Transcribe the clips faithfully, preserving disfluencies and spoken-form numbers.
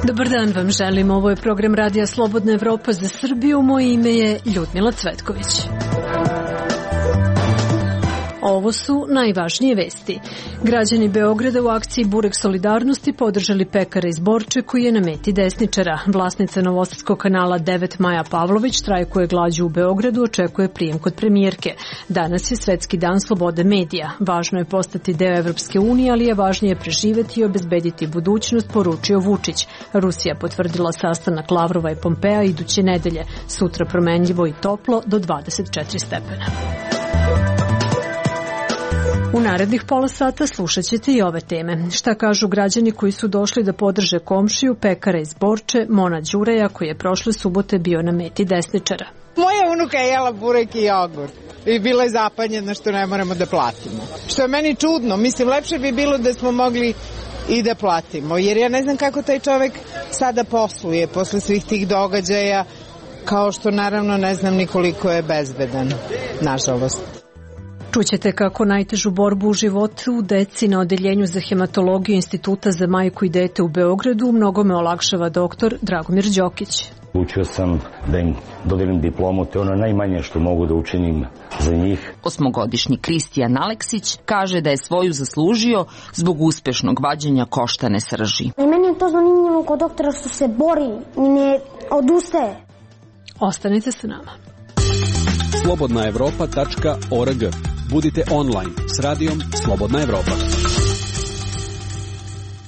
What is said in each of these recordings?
Dobar dan vam želim, ovo je program Radija Slobodna Evropa za Srbiju, moje ime je Ljudmila Cvetković. Ovo su najvažnije vesti. Građani Beograda u akciji Burek solidarnosti podržali pekara iz Borče koji je na meti desničara. Vlasnica Novosadskog kanala devet Maja Pavlović štrajkuje glađu u Beogradu, očekuje prijem kod premijerke. Danas je Svetski dan slobode medija. Važno je postati deo Evropske unije, ali je važnije preživeti i obezbediti budućnost, poručio Vučić. Rusija potvrdila sastanak Lavrova i Pompea iduće nedelje. Sutra promenljivo i toplo do dvadeset četiri stepena. U narednih pola sata slušat ćete i ove teme. Šta kažu građani koji su došli da podrže komšiju pekara iz Borče, Mona Đureja, koji je prošle subote bio na meti desničara. Moja unuka je jela burek i jogurt i bila je zapanjena što ne moramo da platimo. Što je meni čudno, mislim lepše bi bilo da smo mogli i da platimo, jer ja ne znam kako taj čovek sada posluje posle svih tih događaja, kao što naravno ne znam ni koliko je bezbedan, nažalost. Čućete kako najtežu borbu u životu deci na odeljenju za hematologiju Instituta za majku i dete u Beogradu mnogome olakšava doktor Dragomir Đokić. Učio sam da im dodelim diplomu, to je ono najmanje što mogu da učinim za njih. Osmogodišnji Kristijan Aleksić kaže da je svoju zaslužio zbog uspešnog vađenja koštane srži. I meni je to zanimljivo kod doktora što se bori i ne odustaje. Ostanite sa nama. slobodna evropa tačka org. Budite online s radijom Slobodna Evropa.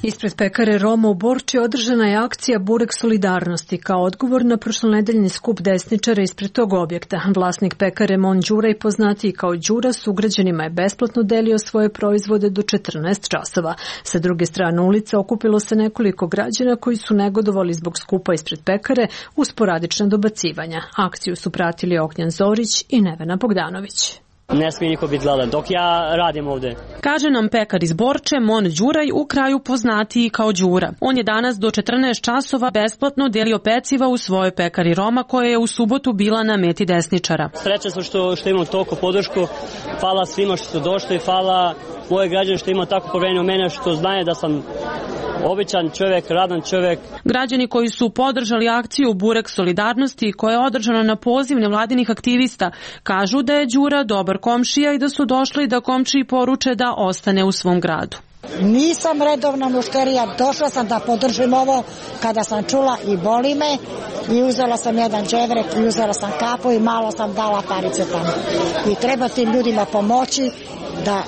Ispred pekare Roma u Borči održana je akcija Burek solidarnosti kao odgovor na prošlonedeljni skup desničara ispred tog objekta. Vlasnik pekare Mon Đuraj, poznatiji kao Đura, sugrađanima je besplatno delio svoje proizvode do četrnaest časova. Sa druge strane ulice okupilo se nekoliko građana koji su negodovali zbog skupa ispred pekare uz sporadična dobacivanja. Akciju su pratili Ognjan Zorić i Nevena Bogdanović. Ne smije niko biti gladan dok ja radim ovde. Kaže nam pekar iz Borče, Mon Đuraj, u kraju poznatiji kao Đura. On je danas do četrnaest časova besplatno delio peciva u svojoj pekari Roma koja je u subotu bila na meti desničara. Srećan sam što, što imam toliko podršku. Hvala svima što su došli, hvala moje građane što ima tako poverenje u mene, što znaju da sam običan čovjek, radan čovjek. Građani koji su podržali akciju Burek solidarnosti koja je održana na poziv nevladinih aktivista kažu da je Đura dobar komšija i da su došli da komšiji poruče da ostane u svom gradu. Nisam redovna mušterija, došla sam da podržim ovo kada sam čula i boli me i uzela sam jedan dževrek i uzela sam kapu i malo sam dala parice tamo. I treba tim ljudima pomoći da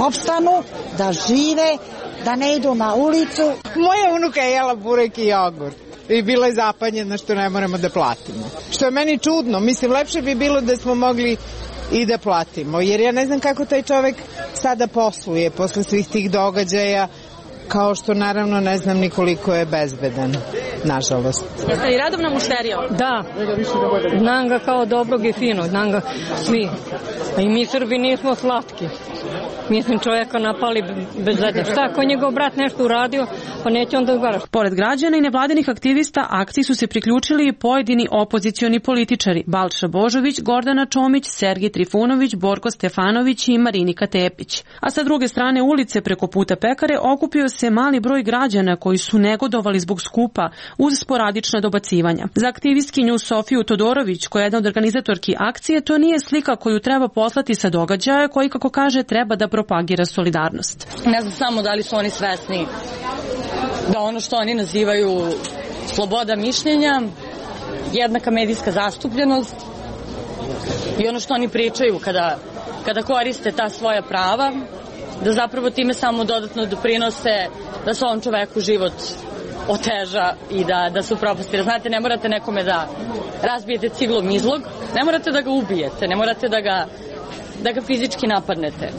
opstanu, da žive, da ne idu na ulicu. Moja unuka je jela burek i jogurt i bila je zapanjena što ne moramo da platimo. Što je meni čudno, mislim lepše bi bilo da smo mogli i da platimo, jer ja ne znam kako taj čovek sada posluje posle svih tih događaja, kao što naravno ne znam ni koliko je bezbedan, nažalost. Jeste i radovna mušterija? Da, znam ga kao dobrog i finog, znam ga svi. A i mi Srbi nismo slatki. Mislim, čovjeka napali bez veze. Šta, ako njegov brat nešto uradio, pa neće onda ugaraš. Pored građana i nevladinih aktivista, akciji su se priključili i pojedini opozicioni političari. Balša Božović, Gordana Čomić, Sergij Trifunović, Borko Stefanović i Marinika Tepić. A sa druge strane ulice preko puta pekare okupio se mali broj građana koji su negodovali zbog skupa uz sporadična dobacivanja. Za aktivistkinju Sofiju Todorović, koja je jedna od organizatorki akcije, to nije slika koju treba poslati sa događaja koji, kako kaže, treba da propagira solidarnost. Ne znam samo da li su oni svesni da ono što oni nazivaju sloboda mišljenja, jednaka medijska zastupljenost i ono što oni pričaju kada, kada koriste ta svoja prava, da zapravo time samo dodatno doprinose da se ovom čoveku život oteža i da, da su propasti. Znate, ne morate nekome da razbijete ciglom izlog, ne morate da ga ubijete, ne morate da ga, da ga fizički napadnete,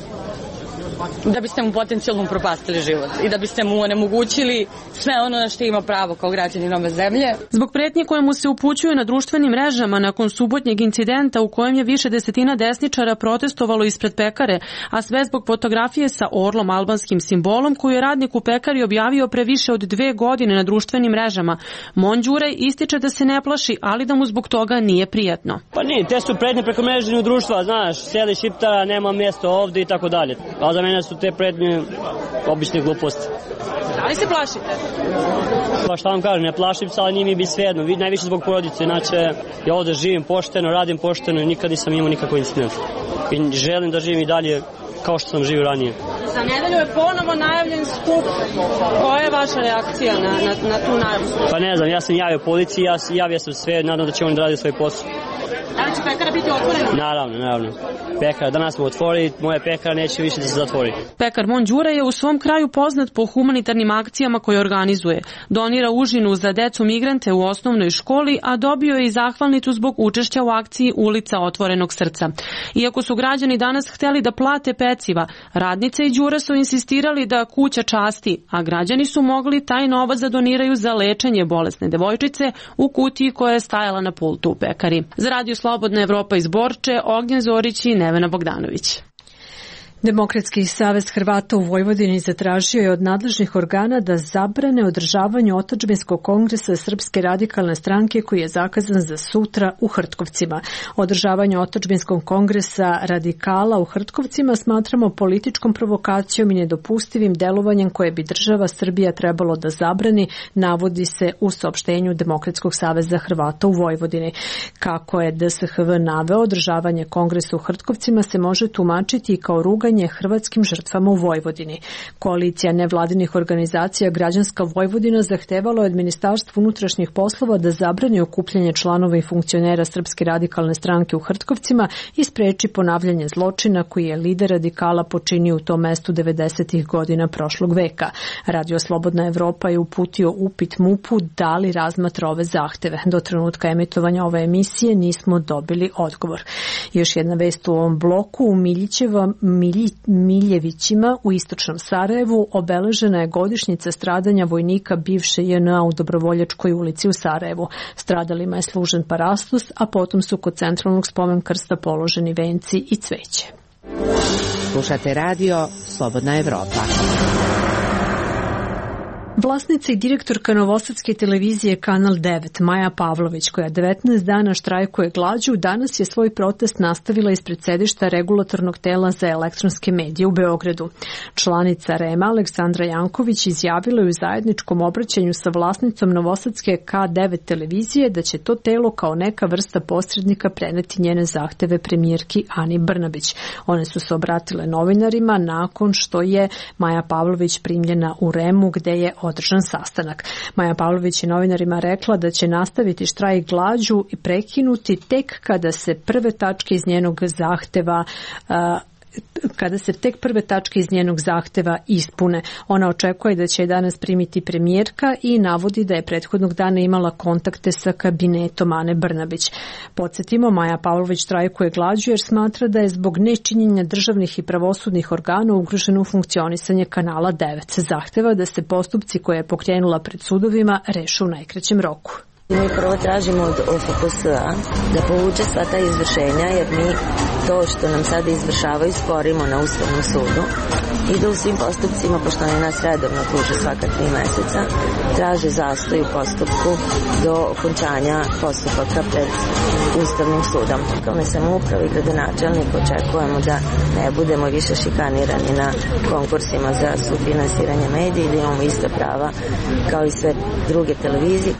da biste mu potencijalno propastili život i da biste mu onemogućili sve ono na što ima pravo kao građanin ove zemlje. Zbog pretnje koje mu se upućuju na društvenim mrežama nakon subotnjeg incidenta u kojem je više desetina desničara protestovalo ispred pekare, a sve zbog fotografije sa orlom albanskim simbolom koju je radnik u pekari objavio pre više od dve godine na društvenim mrežama, Mon Đuraj ističe da se ne plaši, ali da mu zbog toga nije prijatno. Pa nije, te su pretnje preko mreženju društva, znaš, seli šiptara, nema mjesto ovdje i tako dalje. Ali za mene su te pretnje obične gluposti. Da li se plašite? Pa šta vam kažem, ne plašim se, ali nije mi bi svejedno. Najviše zbog porodice, inače ja ovde živim pošteno, radim pošteno i nikad nisam imao nikakvu incident. I želim da živim i dalje kao što sam živio ranije. Za nedelju je ponovo najavljen skup. Koja je vaša reakcija na, na, na tu najavu? Pa ne znam, ja sam javio policiji, ja javio sam sve, nadam da će oni da rade svoj posao. Da li će pekara biti otvorena? Naravno, naravno. Pekara, danas smo otvorili, moja pekara neće više da se zatvori. Pekar Mon Đura je u svom kraju poznat po humanitarnim akcijama koje organizuje. Donira užinu za decu migrante u osnovnoj školi, a dobio je i zahvalnicu zbog učešća u akciji Ulica otvorenog srca. Iako su građani danas hteli da plate peciva, radnice i Đura su insistirali da kuća časti, a građani su mogli taj novac da doniraju za lečenje bolesne devojčice u kutiji koja je stajala na pultu u pekari. Za Radio Slobodna Evropa iz Borče, Ognjen Zorić i Nevena Bogdanović. Demokratski savez Hrvata u Vojvodini zatražio je od nadležnih organa da zabrane održavanje otadžbinskog kongresa Srpske radikalne stranke koji je zakazan za sutra u Hrtkovcima. Održavanje otadžbinskog kongresa radikala u Hrtkovcima smatramo političkom provokacijom i nedopustivim delovanjem koje bi država Srbija trebalo da zabrani, navodi se u saopštenju Demokratskog saveza Hrvata u Vojvodini. Kako je D S H V naveo, održavanje kongresa u Hrtkovcima se može tumačiti i kao ruga hrvatskim žrtvama u Vojvodini. Koalicija nevladinih organizacija Građanska Vojvodina zahtevala od Ministarstva unutrašnjih poslova da zabrani okupljanje članova i funkcionera Srpske radikalne stranke u Hrtkovcima i spreči ponavljanje zločina koji je lider radikala počinio u tom mestu devedesetih godina prošlog veka. Radio Slobodna Evropa je uputio upit MUP-u da li razmatra ove zahteve. Do trenutka emitovanja ove emisije nismo dobili odgovor. Još jedna vest u ovom bloku. U Miljićeva, Milji, Miljevićima u istočnom Sarajevu obeležena je godišnjica stradanja vojnika bivše J N A u Dobrovoljačkoj ulici u Sarajevu. Stradalima je služen parastos, a potom su kod centralnog spomen krsta položeni venci i cveće. Slušate radio Slobodna Evropa. Vlasnica i direktorka novosadske televizije Kanal devet, Maja Pavlović, koja devetnaest dana štrajkuje glađu, danas je svoj protest nastavila ispred sedišta regulatornog tela za elektronske medije u Beogradu. Članica R E M-a Aleksandra Janković izjavila je u zajedničkom obraćanju sa vlasnicom novosadske K devet televizije da će to telo kao neka vrsta posrednika preneti njene zahteve premijerki Ani Brnabić. One su se obratile novinarima nakon što je Maja Pavlović primljena u R E M-u gde je održan sastanak. Maja Pavlović je novinarima rekla da će nastaviti štrajk glađu i prekinuti tek kada se prve tačke iz njenog zahteva uh, kada se tek prve tačke iz njenog zahteva ispune. Ona očekuje da će je danas primiti premijerka i navodi da je prethodnog dana imala kontakte sa kabinetom Ane Brnabić. Podsjetimo, Maja Pavlović štrajkuje glađu jer smatra da je zbog nečinjenja državnih i pravosudnih organa ugroženo funkcionisanje Kanala devet. Zahteva da se postupci koje je pokrenula pred sudovima reše u najkraćem roku. Mi prvo tražimo od O F P S-a da povuče sva ta izvršenja, jer mi to što nam sada izvršavaju sporimo na Ustavnom sudu i da u svim postupcima, pošto oni nas redovno tuže svaka tri meseca, traže zastoj u postupku do okončanja postupaka pred Ustavnim sudom. Lokalne samouprave i gradonačelnik očekujemo da ne budemo više šikanirani na konkursima za sufinansiranje medija i da imamo ista prava kao i sve druge televizije.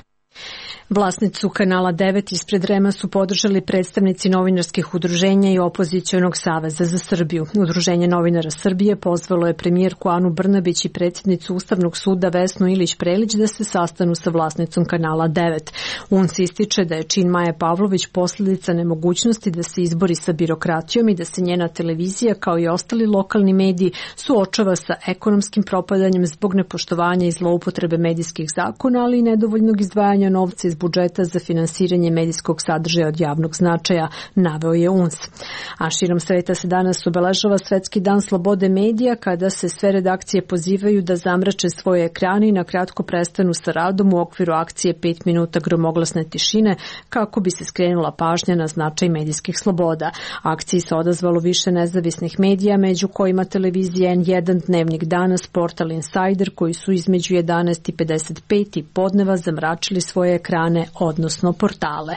Vlasnicu Kanala devet ispred R E M-a su podržali predstavnici novinarskih udruženja i Opozicionog saveza za Srbiju. Udruženje novinara Srbije pozvalo je premijerku Anu Brnabić i predsjednicu Ustavnog suda Vesnu Ilić Prelić da se sastanu sa vlasnicom Kanala devet. U N S ističe da je čin Maje Pavlović posljedica nemogućnosti da se izbori sa birokratijom i da se njena televizija kao i ostali lokalni mediji suočava sa ekonomskim propadanjem zbog nepoštovanja i zloupotrebe medijskih zakona, ali i nedovoljnog izdvajanja novca iz budžeta za finansiranje medijskog sadržaja od javnog značaja, naveo je U N S. A širom sveta se danas obeležava Svetski dan slobode medija, kada se sve redakcije pozivaju da zamrače svoje ekrane i na kratko prestanu sa radom u okviru akcije pet minuta gromoglasne tišine, kako bi se skrenula pažnja na značaj medijskih sloboda. Akciji se odazvalo više nezavisnih medija, među kojima televizija N jedan, Dnevnik danas, portal Insider, koji su između jedanaest i pedeset pet i podneva zamračili svoje ekrane organe, odnosno portale.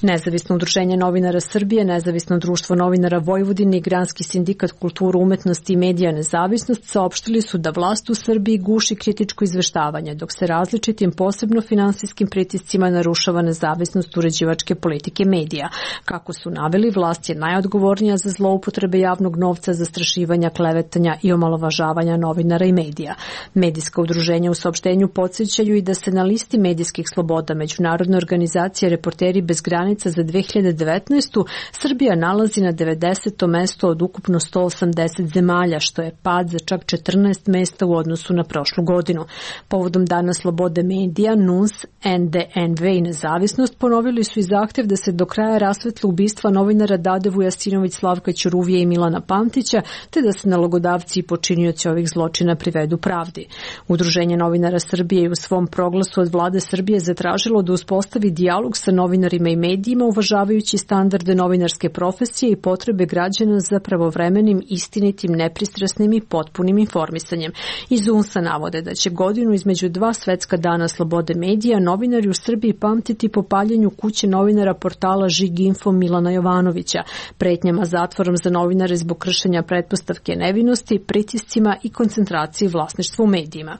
Nezavisno udruženje novinara Srbije, Nezavisno društvo novinara Vojvodine i Granski sindikat kulturu, umetnosti i medija Nezavisnost saopštili su da vlast u Srbiji guši kritičko izveštavanje, dok se različitim posebno finansijskim pritiscima narušava nezavisnost uređivačke politike medija. Kako su naveli, vlast je najodgovornija za zloupotrebe javnog novca, zastrašivanja, klevetanja i omalovažavanja novinara i medija. Medijska udruženja u saopštenju podsjećaju i da se na listi medijskih sloboda Međunarodne organizacije Reporteri bez granica za dve hiljade devetnaestu. Srbija nalazi na devedesetom mestu od ukupno sto osamdeset zemalja, što je pad za čak četrnaest mesta u odnosu na prošlu godinu. Povodom Dana slobode medija, N U S, N D N V i Nezavisnost ponovili su i zahtev da se do kraja rasvetle ubistva novinara Dade Vujasinović, Slavka Ćuruvije i Milana Pantića, te da se nalogodavci i počinioci ovih zločina privedu pravdi. Udruženje novinara Srbije je u svom proglasu od vlade Srbije zatražilo da uspostavi dijalog sa novinarima i medijima, uvažavajući standarde novinarske profesije i potrebe građana za pravovremenim, istinitim, nepristrasnim i potpunim informisanjem. Iz U N S-a navode da će godinu između dva svetska dana slobode medija novinari u Srbiji pamtiti po paljenju kuće novinara portala Žig Info Milana Jovanovića, pretnjama zatvorom za novinare zbog kršenja pretpostavke nevinosti, pritiscima i koncentraciji vlasništva u medijima.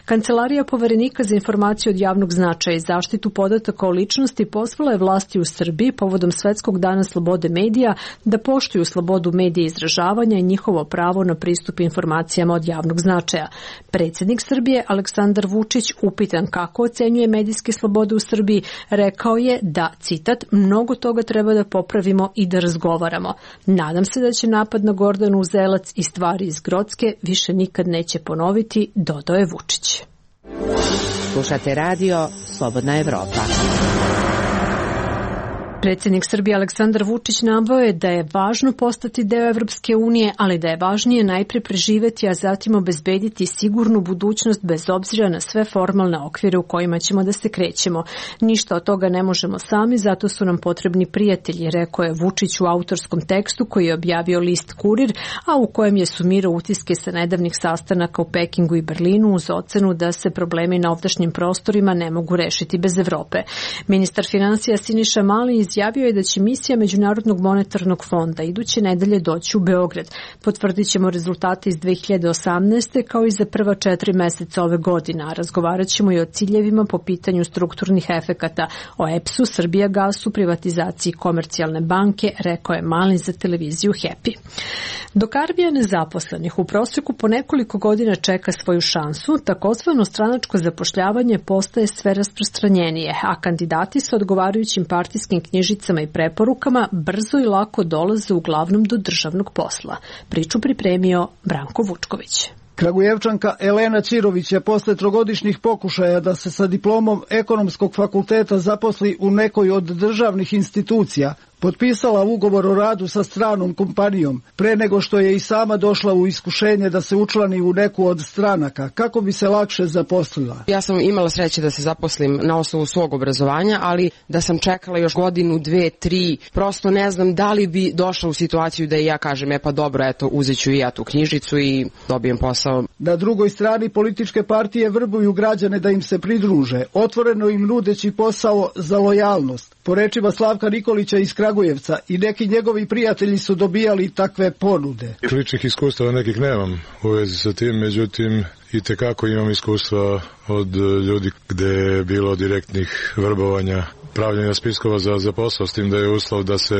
Kancelarija Poverenika za informacije od javnog značaja i zaštitu podataka o ličnosti pozvala je vlasti u Srbiji povodom Svetskog dana slobode medija da poštuju slobodu medija izražavanja i njihovo pravo na pristup informacijama od javnog značaja. Predsjednik Srbije Aleksandar Vučić, upitan kako ocenjuje medijske slobode u Srbiji, rekao je da, citat, mnogo toga treba da popravimo i da razgovaramo. Nadam se da će napad na Gordanu Uzelac i stvari iz Grocke više nikad neće ponoviti, dodao je Vučić. Slušate radio Slobodna Evropa. Predsjednik Srbije Aleksandar Vučić naveo je da je važno postati deo Evropske unije, ali da je važnije najpre preživeti, a zatim obezbediti sigurnu budućnost bez obzira na sve formalne okvire u kojima ćemo da se krećemo. Ništa od toga ne možemo sami, zato su nam potrebni prijatelji, rekao je Vučić u autorskom tekstu koji je objavio list Kurir, a u kojem je sumirao utiske sa nedavnih sastanaka u Pekingu i Berlinu uz ocenu da se problemi na ovdašnjim prostorima ne mogu rešiti bez Evrope. Ministar finansija Siniša Mali izjavio je da će misija Međunarodnog monetarnog fonda iduće nedelje doći u Beograd. Potvrdit ćemo rezultate iz dve hiljade osamnaeste kao i za prva četiri meseca ove godine, a razgovarat ćemo i o ciljevima po pitanju strukturnih efekata, o E P S-u, Srbijagasu, privatizaciji Komercijalne banke, rekao je Mali za televiziju Happy. Dok armija nezaposlenih u prosjeku po nekoliko godina čeka svoju šansu, takozvano stranačko zapošljavanje postaje sve rasprostranjenije, a kandidati sa odgovarajućim partijskim knjižicama i preporukama brzo i lako dolaze uglavnom do državnog posla. Priču pripremio Branko Vučković. Kragujevčanka Elena Ćirović je posle trogodišnjih pokušaja da se sa diplomom ekonomskog fakulteta zaposli u nekoj od državnih institucija potpisala ugovor o radu sa stranom kompanijom, pre nego što je i sama došla u iskušenje da se učlani u neku od stranaka, kako bi se lakše zaposlila. Ja sam imala sreće da se zaposlim na osnovu svog obrazovanja, ali da sam čekala još godinu, dve, tri, prosto ne znam da li bi došla u situaciju da i ja kažem, e pa dobro, eto, uzet ću i ja tu knjižicu i dobijem posao. Na drugoj strani političke partije vrbuju građane da im se pridruže, otvoreno im nudeći posao za lojalnost. Po rečima Slavka Nikolića iz Kragujevca, i neki njegovi prijatelji su dobijali takve ponude. Ličnih iskustava nekih nemam u vezi sa tim, međutim i tekako imam iskustva od ljudi gde je bilo direktnih vrbovanja, pravljenja spiskova za, za posao, s tim da je uslov da se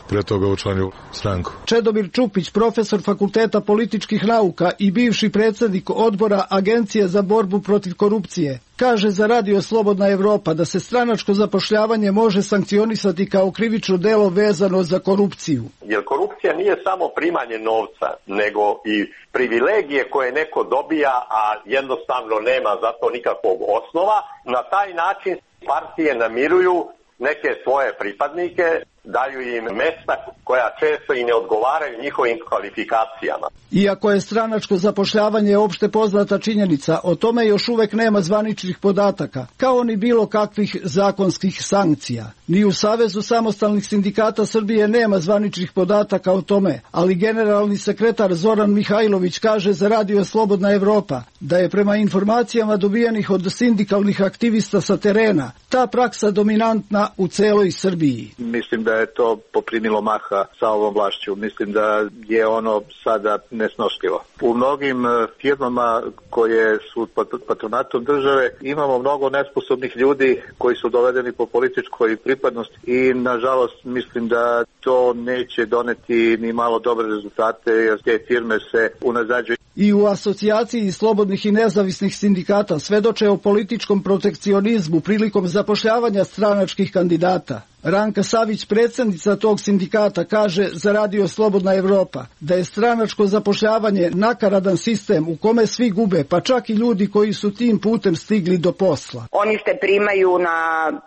pre toga učlani u stranku. Čedomir Čupić, profesor Fakulteta političkih nauka i bivši predsjednik odbora Agencije za borbu protiv korupcije, kaže za Radio Slobodna Evropa da se stranačko zapošljavanje može sankcionisati kao krivično delo vezano za korupciju. Jer korupcija nije samo primanje novca, nego i privilegije koje neko dobija, a jednostavno nema za to nikakvog osnova. Na taj način partije namiruju neke svoje pripadnike daju im mesta koja često i ne odgovaraju njihovim kvalifikacijama. Iako je stranačko zapošljavanje opšte poznata činjenica, o tome još uvek nema zvaničnih podataka, kao ni bilo kakvih zakonskih sankcija. Ni u Savezu samostalnih sindikata Srbije nema zvaničnih podataka o tome, ali generalni sekretar Zoran Mihajlović kaže za Radio Slobodna Evropa da je prema informacijama dobijenih od sindikalnih aktivista sa terena ta praksa dominantna u celoj Srbiji. Mislim da je to poprimilo maha sa ovom vlašću. Mislim da je ono sada nesnošljivo. U mnogim firmama koje su pod patronatom države imamo mnogo nesposobnih ljudi koji su dovedeni po političkoj pripadnosti i nažalost mislim da to neće doneti ni malo dobre rezultate jer te firme se unazađuju. I u asocijaciji slobodnih i nezavisnih sindikata svedoče o političkom protekcionizmu prilikom zapošljavanja stranačkih kandidata. Ranka Savić, predsjednica tog sindikata, kaže za Radio Slobodna Evropa da je stranačko zapošljavanje nakaradan sistem u kome svi gube, pa čak i ljudi koji su tim putem stigli do posla. Oni se primaju na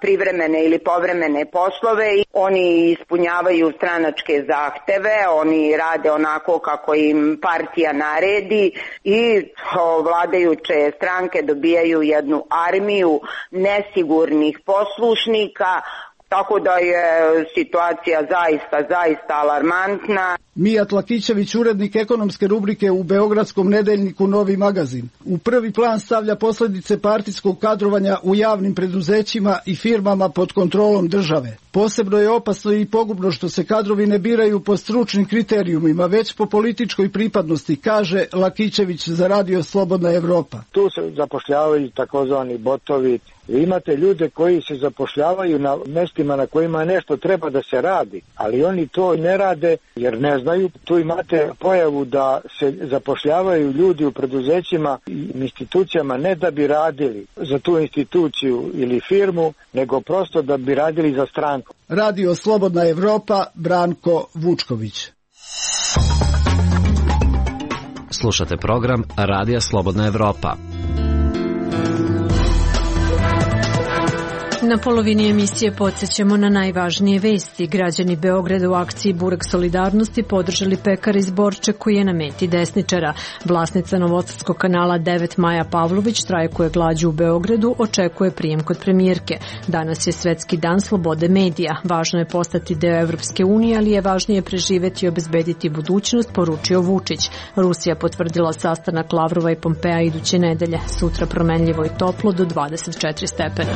privremene ili povremene poslove, oni ispunjavaju stranačke zahteve, oni rade onako kako im partija naredi i vladajuće stranke dobijaju jednu armiju nesigurnih poslušnika. Tako da je situacija zaista, zaista alarmantna. Mijat Lakićević, urednik ekonomske rubrike u beogradskom nedeljniku Novi magazin, u prvi plan stavlja posljedice partijskog kadrovanja u javnim preduzećima i firmama pod kontrolom države. Posebno je opasno i pogubno što se kadrovi ne biraju po stručnim kriterijumima, već po političkoj pripadnosti, kaže Lakićević za Radio Slobodna Evropa. Tu se zapošljavaju takozvani botovi. Vi imate ljude koji se zapošljavaju na mestima na kojima nešto treba da se radi, ali oni to ne rade jer ne znaju. Tu imate pojavu da se zapošljavaju ljudi u preduzećima i institucijama ne da bi radili za tu instituciju ili firmu, nego prosto da bi radili za stranku. Radio Slobodna Evropa, Branko Vučković. Slušate program Radija Slobodna Evropa. Na polovini emisije podsjećamo na najvažnije vesti. Građani Beograda u akciji Burek solidarnosti podržali pekara iz Borče koji je na meti desničara. Vlasnica Novosadskog kanala devet Maja Pavlović štrajkuje glađu u Beogradu, očekuje prijem kod premijerke. Danas je Svetski dan slobode medija. Važno je postati deo Evropske unije, ali je važnije preživeti i obezbediti budućnost, poručio Vučić. Rusija potvrdila sastanak Lavrova i Pompea iduće nedelje. Sutra promenljivo i toplo do dvadeset četiri stepena.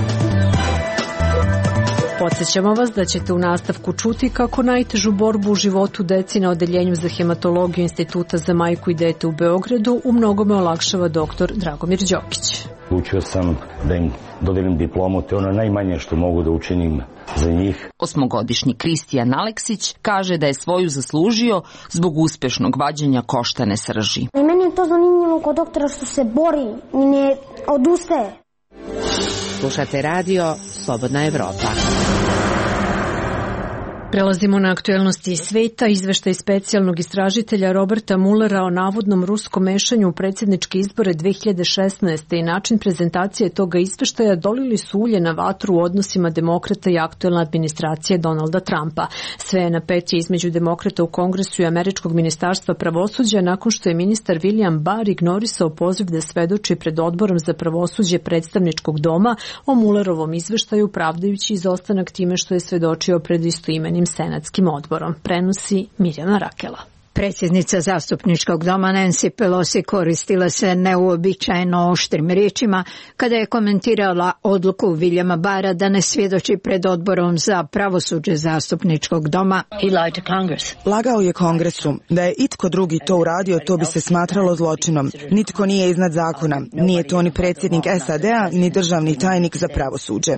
Podsjećamo vas da ćete u nastavku čuti kako najtežu borbu u životu deci na odeljenju za hematologiju Instituta za majku i dete u Beogradu u mnogome olakšava doktor Dragomir Đokić. Učio sam da im dodelim diplomu, te ono najmanje što mogu da učinim za njih. Osmogodišnji Kristijan Aleksić kaže da je svoju zaslužio zbog uspešnog vađenja koštane srži. I meni je to zanimljivo kod doktora što se bori i ne odustaje. Slušate Radio Slobodna Evropa. Prelazimo na aktuelnosti iz sveta. Izveštaj specijalnog istražitelja Roberta Mullera o navodnom ruskom mešanju u predsjedničke izbore dve hiljade šesnaeste. i način prezentacije toga izveštaja dolili su ulje na vatru u odnosima demokrata i aktuelne administracije Donalda Trumpa. Sve je napetije između demokrata u Kongresu i američkog ministarstva pravosuđa nakon što je ministar William Barr ignorisao poziv da svedoči pred odborom za pravosuđe predstavničkog doma o Mullerovom izveštaju, pravdajući izostanak time što je svedočio pred istoimenim senatskim odborom, prenosi Mirjana Rakela. Predsjednica zastupničkog doma Nancy Pelosi koristila se neuobičajeno oštrim riječima kada je komentirala odluku Williama Barra da ne svjedoči pred odborom za pravosuđe zastupničkog doma. Lagao je Kongresu. Da je itko drugi to uradio, to bi se smatralo zločinom. Nitko nije iznad zakona. Nije to ni predsjednik S A D-a, ni državni tajnik za pravosuđe.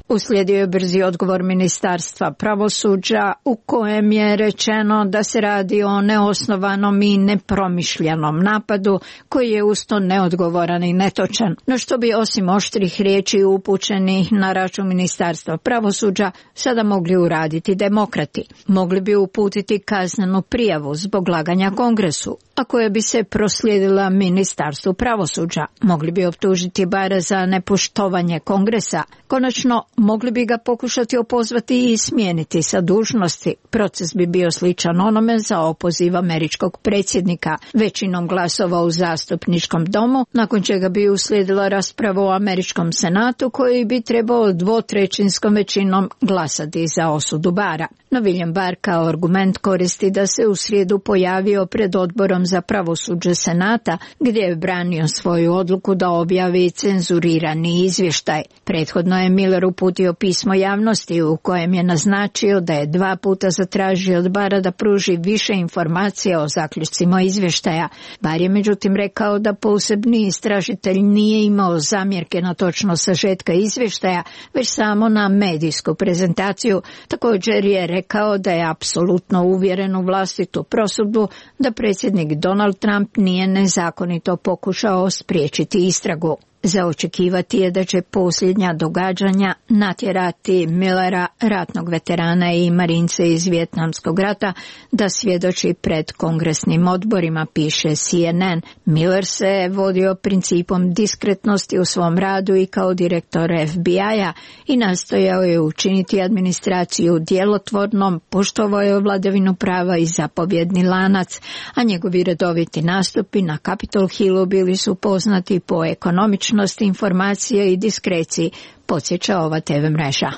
Uslijedio je brzi odgovor ministarstva pravosuđa u kojem je rečeno da se radi o neosnovanom i nepromišljenom napadu koji je usto neodgovoran i netočan. No što bi osim oštrih riječi upućenih na račun ministarstva pravosuđa sada mogli uraditi demokrati? Mogli bi uputiti kaznenu prijavu zbog laganja Kongresu, a koja bi se proslijedila Ministarstvu pravosuđa. Mogli bi optužiti Bara za nepoštovanje Kongresa. Konačno, mogli bi ga pokušati opozvati i smijeniti sa dužnosti. Proces bi bio sličan onome za opoziv američkog predsjednika većinom glasova u zastupničkom domu, nakon čega bi uslijedila rasprava u američkom senatu koji bi trebao dvotrećinskom većinom glasati za osudu Bara. No William Barr kao argument koristi da se u srijedu pojavio pred odborom za pravosuđe senata gdje je branio svoju odluku da objavi cenzurirani izvještaj. Prethodno je Miller uputio pismo javnosti u kojem je naznačio da je dva puta zatražio od Barra da pruži više informacija o zaključcima izvještaja. Barr je međutim rekao da posebni istražitelj nije imao zamjerke na točno sažetka izvještaja, već samo na medijsku prezentaciju. Također je rekao da je apsolutno uvjeren u vlastitu prosudbu da predsjednik Donald Trump nije nezakonito pokušao spriječiti istragu. Za očekivati je da će posljednja događanja natjerati Millera, ratnog veterana i marince iz Vijetnamskog rata, da svjedoči pred kongresnim odborima, piše C N N. Miller se vodio principom diskretnosti u svom radu i kao direktor F B I-a i nastojao je učiniti administraciju djelotvornom, poštovao je vladavinu prava i zapovjedni lanac, a njegovi redoviti nastupi na Capitol Hillu bili su poznati po ekonomičnosti informacije i diskreciji, podsjeća ova T V mreža.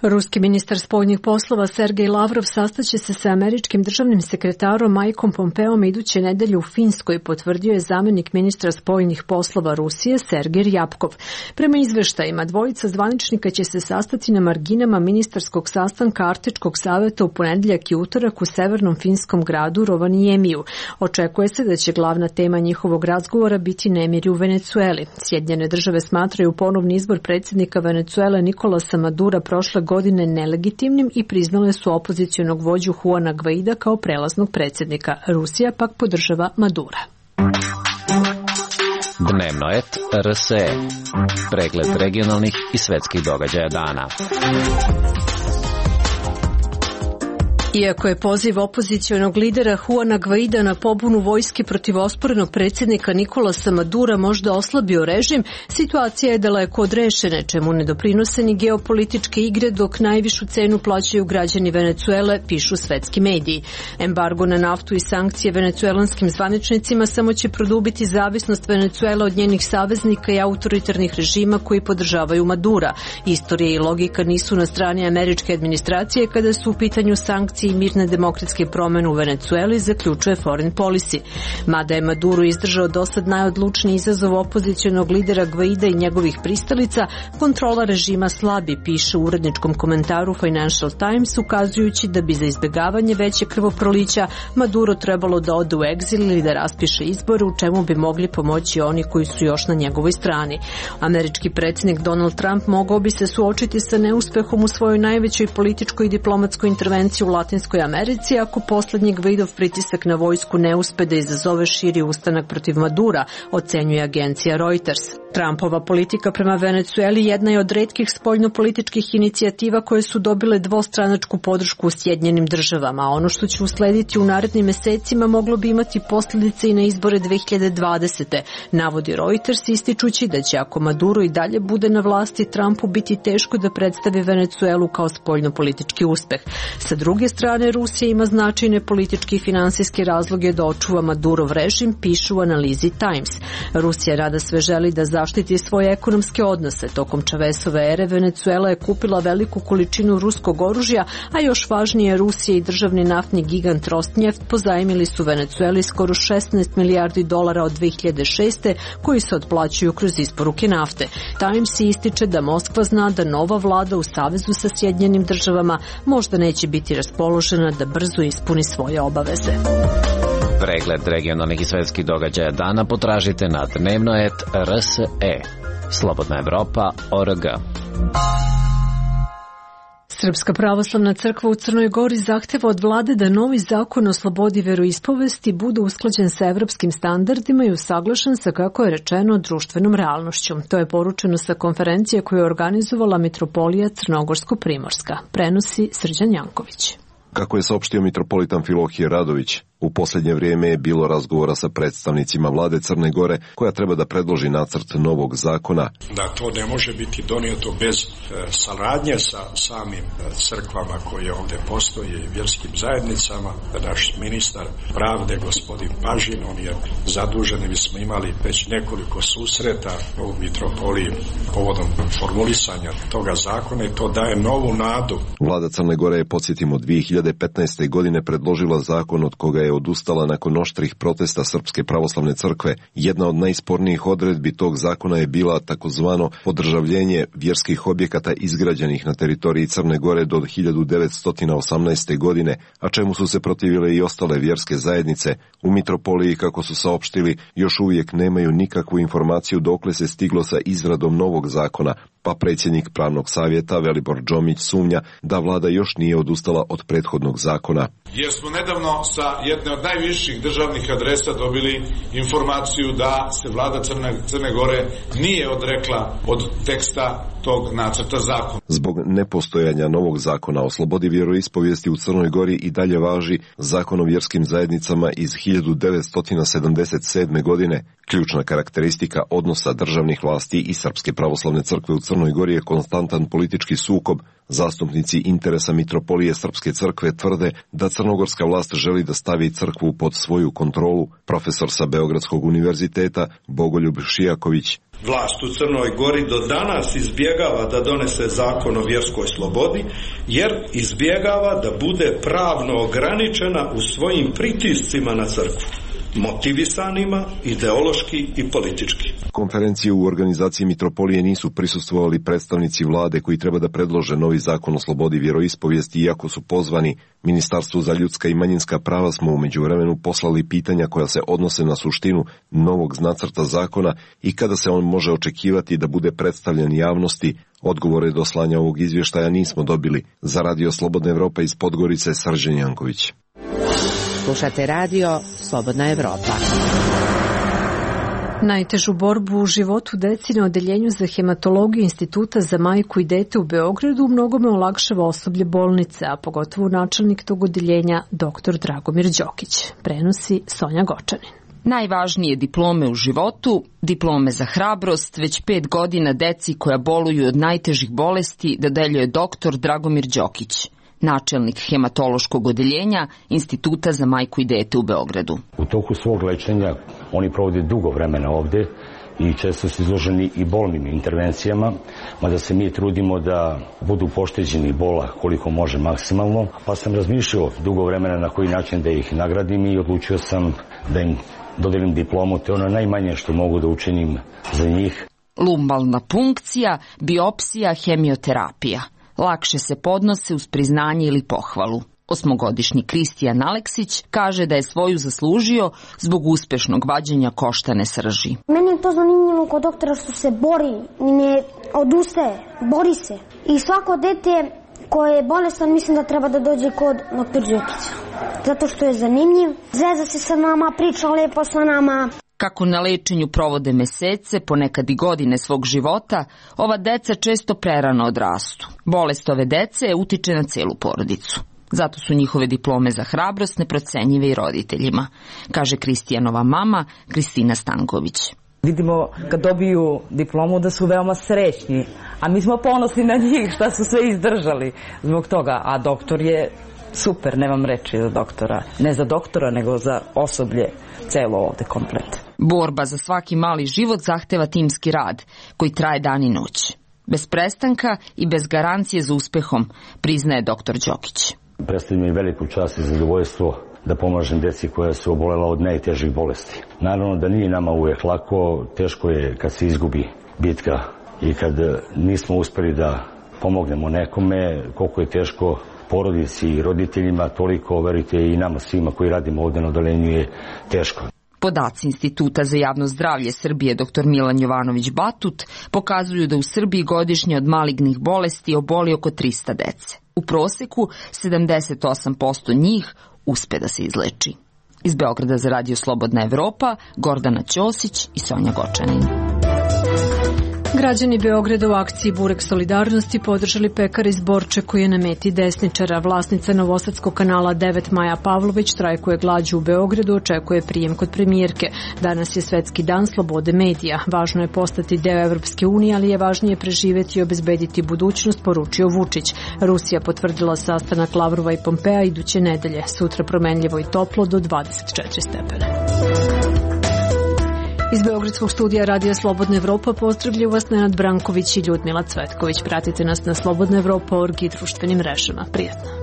Ruski ministar spoljnih poslova Sergej Lavrov sastaće se sa američkim državnim sekretarom Mikeom Pompeom iduće nedelje u Finskoj, potvrdio je zamjenik ministra spoljnih poslova Rusije Sergej Ryabkov. Prema izveštajima, dvojica zvaničnika će se sastati na marginama ministarskog sastanka Arktičkog saveta u ponedjeljak i utorak u severnom finskom gradu Rovaniemiju. Očekuje se da će glavna tema njihovog razgovora biti nemiri u Venecueli. Sjedinjene države smatraju ponovni izbor predsjednika Venecuele Nicolasa Madura prošle godine nelegitimnim i priznale su opozicionog vođu Juana Guaida kao prelaznog predsjednika. Rusija pak podržava Madura. Dnevno et R S E. Pregled regionalnih i svetskih događaja dana. Iako je poziv opozicionog lidera Juana Guaida na pobunu vojske protiv osporenog predsjednika Nicolasa Madura možda oslabio režim, situacija je daleko od rešene, čemu ne doprinose ni geopolitičke igre, dok najvišu cenu plaćaju građani Venecuele, pišu svetski mediji. Embargo na naftu i sankcije venecuelanskim zvaničnicima samo će produbiti zavisnost Venecuele od njenih saveznika i autoritarnih režima koji podržavaju Madura. Istorija i logika nisu na strani američke administracije kada su u pitanju sankcije i mirne demokratske promjene u Venecueli, zaključuje Foreign Policy. Mada je Maduro izdržao dosad najodlučniji izazov opozicionog lidera Guaida i njegovih pristalica, kontrola režima slabi, piše u uredničkom komentaru Financial Times, ukazujući da bi za izbjegavanje veće krvoprolića Maduro trebalo da ode u egzil ili da raspiše izbore, u čemu bi mogli pomoći oni koji su još na njegovoj strani. Američki predsjednik Donald Trump mogao bi se suočiti sa neuspehom u svojoj najvećoj političkoj i diplomatskoj intervenciji u Latinskoj Americi ako posljednji Guaidov pritisak na vojsku ne uspe da izazove širi ustanak protiv Madura, ocenjuje agencija Reuters. Trumpova politika prema Venecueli jedna je od retkih spoljnopolitičkih inicijativa koje su dobile dvostranačku podršku u Sjedinjenim državama, a ono što će uslediti u narednim mesecima moglo bi imati posljedice i na izbore dve hiljade dvadesete. Navodi Reuters, ističući da će ako Maduro i dalje bude na vlasti, Trumpu biti teško da predstavi Venecuelu kao spoljnopolitički uspeh. Sa druge strane, Rusija ima značajne političke i finansijske razloge da očuva Madurov režim, pišu u analizi Times. Rusija rada sve želi da zaštiti svoje ekonomske odnose. Tokom Čavesove ere Venecuela je kupila veliku količinu ruskog oružja, a još važnije, Rusija i državni naftni gigant Rosneft pozajmili su Venecueli skoro šesnaest milijardi dolara od dve hiljade šeste koji se otplaćuju kroz isporuke nafte. Times ističe da Moskva zna da nova vlada u savezu sa Sjedinjenim državama možda neće biti raspoložena da brzo ispuni svoje obaveze. Pregled regionalnih i svetskih događaja dana potražite na dnevno et R S E. Slobodna Evropa O R G. Srpska pravoslavna crkva u Crnoj Gori zahteva od vlade da novi zakon o slobodi veroispovesti bude usklađen sa evropskim standardima i usaglašen sa, kako je rečeno, društvenom realnošću. To je poručeno sa konferencije koju je organizovala Mitropolija Crnogorsko-Primorska. Prenosi Srđan Janković. Kako je saopštio mitropolitan Filohije Radović, U posljednje vrijeme je bilo razgovora sa predstavnicima vlade Crne Gore koja treba da predloži nacrt novog zakona. Da to ne može biti donijeto bez e, saradnje sa samim crkvama koje ovdje postoje i vjerskim zajednicama. Naš ministar pravde, gospodin Pažin, on je zadužen i mi smo imali već nekoliko susreta u mitropoliji povodom formulisanja toga zakona i to daje novu nadu. Vlada Crne Gore je, podsjetimo, dvije hiljade petnaeste. godine predložila zakon od koga je odustala nakon oštrih protesta Srpske pravoslavne crkve. Jedna od najspornijih odredbi tog zakona je bila takozvano podržavljenje vjerskih objekata izgrađenih na teritoriji Crne Gore do hiljadu devetsto osamnaeste. godine, a čemu su se protivile i ostale vjerske zajednice. U mitropoliji, kako su saopštili, još uvijek nemaju nikakvu informaciju dokle se stiglo sa izradom novog zakona, pa predsjednik pravnog savjeta Velibor Džomić sumnja da vlada još nije odustala od prethodnog zakona. Jer smo nedavno sa jedne od najviših državnih adresa dobili informaciju da se vlada Crne, Crne Gore nije odrekla od teksta tog nacrta zakona. Zbog nepostojanja novog zakona o slobodi vjeroispovijesti u Crnoj Gori i dalje važi Zakon o vjerskim zajednicama iz hiljadu devetsto sedamdeset sedme. godine. Ključna karakteristika odnosa državnih vlasti i Srpske pravoslavne crkve u Crnoj Gori je konstantan politički sukob. Zastupnici interesa mitropolije Srpske crkve tvrde da crnogorska vlast želi da stavi crkvu pod svoju kontrolu. Profesor sa Beogradskog univerziteta Bogoljub Šijaković. Vlast u Crnoj Gori do danas izbjegava da donese zakon o vjerskoj slobodi, jer izbjegava da bude pravno ograničena u svojim pritiscima na crkvu, motivisanima ideološki i politički. Konferenciju u organizaciji mitropolije nisu prisustvovali predstavnici vlade koji treba da predlože novi zakon o slobodi vjeroispovijesti, iako su pozvani. Ministarstvu za ljudska i manjinska prava smo u međuvremenu poslali pitanja koja se odnose na suštinu novog nacrta zakona i kada se on može očekivati da bude predstavljen javnosti. Odgovore do slanja ovog izvještaja nismo dobili. Za Radio Slobodna Evropa iz Podgorice, Srđan Janković. Slušate radio Slobodna Evropa. Najtežu borbu u životu deci na odeljenju za hematologiju Instituta za majku i dete u Beogradu mnogome olakšava osoblje bolnice, a pogotovo načelnik tog odeljenja doktor Dragomir Đokić. Prenosi Sonja Gočanin. Najvažnije diplome u životu, diplome za hrabrost, već pet godina deci koja boluju od najtežih bolesti dodeljuje doktor Dragomir Đokić, načelnik hematološkog odeljenja Instituta za majku i dete u Beogradu. U toku svog lečenja oni provode dugo vremena ovde i često su izloženi i bolnim intervencijama, mada se mi trudimo da budu pošteđeni bola koliko može maksimalno, pa sam razmišljao dugo vremena na koji način da ih nagradim i odlučio sam da im dodelim diplomu, to je ono najmanje što mogu da učinim za njih. Lumbalna punkcija, biopsija, hemioterapija. Lakše se podnose uz priznanje ili pohvalu. Osmogodišnji Kristijan Aleksić kaže da je svoju zaslužio zbog uspešnog vađenja koštane srži. Meni je to zanimljivo kod doktora što se bori, ne odustaje, bori se. I svako dete koje je bolestan mislim da treba da dođe kod doktora Đokića. Zato što je zanimljiv, zeza se sa nama, priča lepo sa nama. Kako na lečenju provode mesece, ponekad i godine svog života, ova deca često prerano odrastu. Bolest ove dece utiče na celu porodicu. Zato su njihove diplome za hrabrost neprocenjive i roditeljima, kaže Kristijanova mama Kristina Stanković. Vidimo kad dobiju diplomu da su veoma srećni, a mi smo ponosni na njih šta su sve izdržali zbog toga, a doktor je super, nemam reči za doktora. Ne za doktora, nego za osoblje celo ovde komplet. Borba za svaki mali život zahteva timski rad, koji traje dan i noć. Bez prestanka i bez garancije za uspehom, priznaje doktor Đokić. Predstavlja mi veliku čast i zadovoljstvo da pomažem deci koja su obolela od najtežih bolesti. Naravno da nije nama uvijek lako, teško je kad se izgubi bitka i kad nismo uspeli da pomognemo nekome, koliko je teško porodici i roditeljima, toliko, verujte, i nama svima koji radimo ovdje na odeljenju je teško. Podaci Instituta za javno zdravlje Srbije dr Milan Jovanović Batut pokazuju da u Srbiji godišnje od malignih bolesti oboli oko trista dece. U proseku sedamdeset osam posto njih uspe da se izleči. Iz Beograda za Radio Slobodna Evropa, Gordana Ćosić i Sonja Gočanin. Građani Beograda u akciji Burek solidarnosti podržali pekara iz Borče koji je na meti desničara. Vlasnica Novosadskog kanala devet Maja Pavlović štrajkuje glađu u Beogradu, očekuje prijem kod premijerke. Danas je Svetski dan slobode medija. Važno je postati deo Evropske unije, ali je važnije preživeti i obezbediti budućnost, poručio Vučić. Rusija potvrdila sastanak Lavrova i Pompea iduće nedelje. Sutra promenljivo i toplo do dvadeset četiri stepena. Iz Beogradskog studija Radija Slobodna Evropa pozdravljaju vas Nenad Branković i Ljudmila Cvetković. Pratite nas na slobodna evropa точка org i društvenim mrežama. Prijatno.